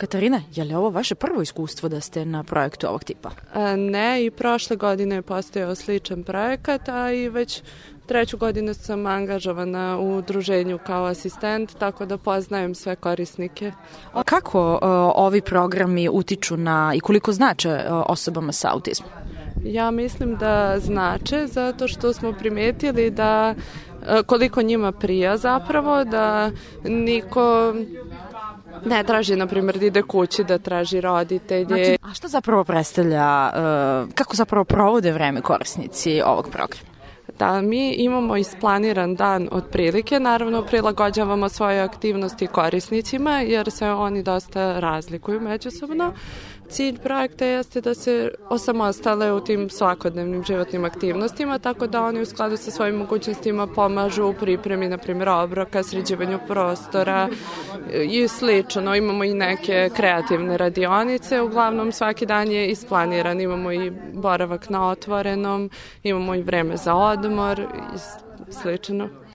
Katarina, je li ovo vaše prvo iskustvo da ste na projektu ovog tipa? Ne, i prošle godine je postojao sličan projekat, a i već 3. godinu sam angažovana u udruženju kao asistent, tako da poznajem sve korisnike. Kako ovi programi utiču na i koliko znače osobama sa autizmom? Ja mislim da znače zato što smo primetili da koliko njima prija zapravo, da niko ne traži, na primjer, da ide kući, da traži roditelje. Znači, a šta zapravo predstavlja, kako zapravo provode vreme korisnici ovog programa? Da, mi imamo isplaniran dan otprilike, naravno prilagođavamo svoje aktivnosti korisnicima jer se oni dosta razlikuju međusobno. Cilj projekta jeste da se osamostale u tim svakodnevnim životnim aktivnostima, tako da oni u skladu sa svojim mogućnostima pomažu u pripremi, na primjer, obroka, sređivanju prostora i slično. Imamo i neke kreativne radionice, uglavnom svaki dan je isplaniran. Imamo i boravak na otvorenom, imamo i vreme za odmor i slično.